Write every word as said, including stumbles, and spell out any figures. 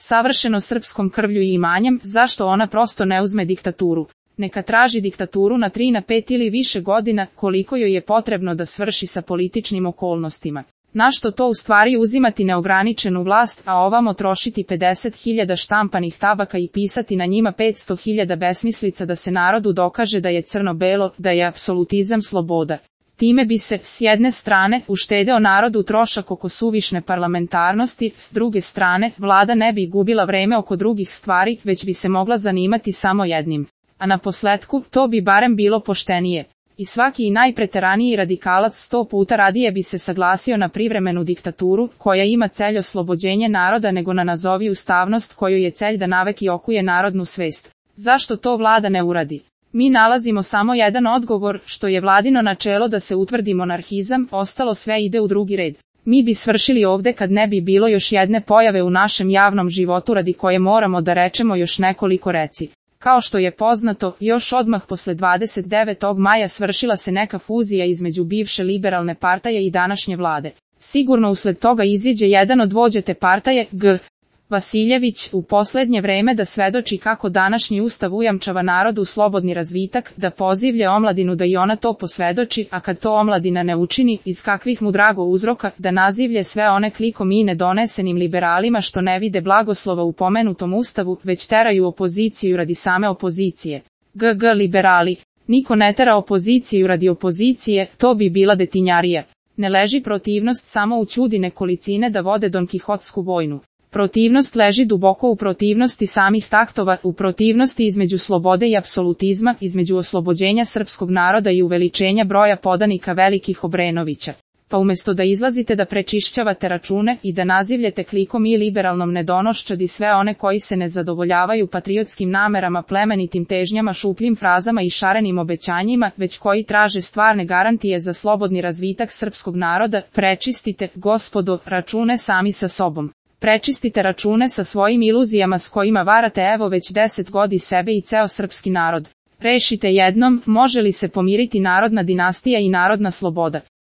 savršeno srpskom krvlju i imanjem, zašto ona prosto ne uzme diktaturu? Neka traži diktaturu na tri na pet ili više godina, koliko joj je potrebno da svrši sa političnim okolnostima. Našto to u stvari uzimati neograničenu vlast, a ovamo trošiti pedeset hiljada štampanih tabaka i pisati na njima petsto hiljada besmislica da se narodu dokaže da je crno-belo, da je apsolutizam sloboda. Time bi se, s jedne strane, uštedeo narodu trošak oko suvišne parlamentarnosti, s druge strane, vlada ne bi gubila vreme oko drugih stvari, već bi se mogla zanimati samo jednim. A na posletku, to bi barem bilo poštenije. I svaki i najpreteraniji radikalac sto puta radije bi se saglasio na privremenu diktaturu, koja ima celj oslobođenje naroda nego na nazovi ustavnost koju je celj da naveki okuje narodnu svest. Zašto to vlada ne uradi? Mi nalazimo samo jedan odgovor, što je vladino načelo da se utvrdi monarhizam, ostalo sve ide u drugi red. Mi bi svršili ovde kad ne bi bilo još jedne pojave u našem javnom životu radi koje moramo da rečemo još nekoliko reci. Kao što je poznato, još odmah posle dvadeset devetog maja svršila se neka fuzija između bivše liberalne partaje i današnje vlade. Sigurno usled toga iziđe jedan od vođe te partaje, G. Vasiljević, u poslednje vreme da svedoči kako današnji ustav ujamčava narodu slobodni razvitak, da pozivlje omladinu da i ona to posvedoči, a kad to omladina ne učini, iz kakvih mu drago uzroka, da nazivlje sve one klikom i nedonesenim liberalima što ne vide blagoslova u pomenutom ustavu, već teraju opoziciju radi same opozicije. G G liberali. Niko ne tera opoziciju radi opozicije, to bi bila detinjarija. Ne leži protivnost samo u ćudi nekolicine da vode donkihotsku vojnu. Protivnost leži duboko u protivnosti samih taktova, u protivnosti između slobode i apsolutizma, između oslobođenja srpskog naroda i uveličenja broja podanika velikih Obrenovića. Pa umjesto da izlazite da prečišćavate račune i da nazivljete klikom i liberalnom nedonoščadi sve one koji se ne zadovoljavaju patriotskim namerama, plemenitim težnjama, šupljim frazama i šarenim obećanjima, već koji traže stvarne garantije za slobodni razvitak srpskog naroda, prečistite, gospodo, račune sami sa sobom. Prečistite račune sa svojim iluzijama s kojima varate evo već deset godina sebe i ceo srpski narod. Rešite jednom, može li se pomiriti narodna dinastija i narodna sloboda.